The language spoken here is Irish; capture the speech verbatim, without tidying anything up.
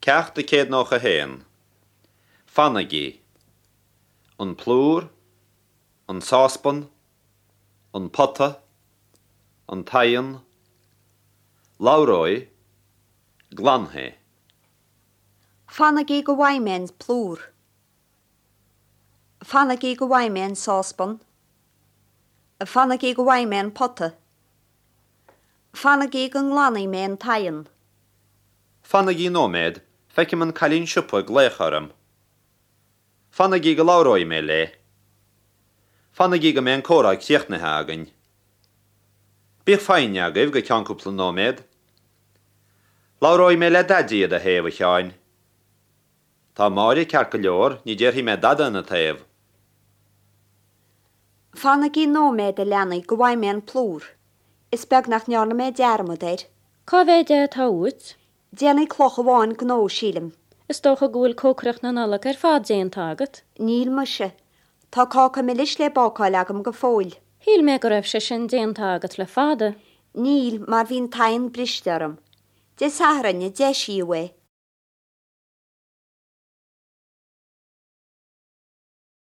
Ceacht a céad nócha a haon. Fanaigí. An plúr, an sáspan, an pota, an t-oigheann, labhróidh, glanfaidh. Fanaigí go bhfaighidh mé an plúr. Fanaigí go bhfaighidh mé an sáspan. Fanaigí go bhfaighidh mé an pota. Fanaigí go nglanfaidh mé an t-oigheann. Fanaigí nóiméad, feicim an cailín siopa ag glaoch orm. Fanaigí go labhróidh mé léi. Fanaigí go mbeidh an comhrá críochnaithe againn. Bíodh foighne agaibh go ceann cúpla nóiméad. Labhróidh mé le Daidí i do thaobh, a Sheáin. Tá Máire ceart go leor, ní déarfaidh mé dada ina taobh. Fanaigí nóiméad a leanaí go bhfaighidh mé an plúr. Is beag nach ndearna mé dearmad air. Cá mhéad é atá uait? Déanfaidh cloch amháin gnó sílim. Is dócha go bhfuil cócaireacht na Nollag ar fad déanta agat. Níl muise. Tá cáca milis le bácáil agam go fóill. Shíl mé go raibh sé sin déanta agat le fada. Níl mar bhí an t-oigheann briste orm. Dé Sathairn a deisíodh é.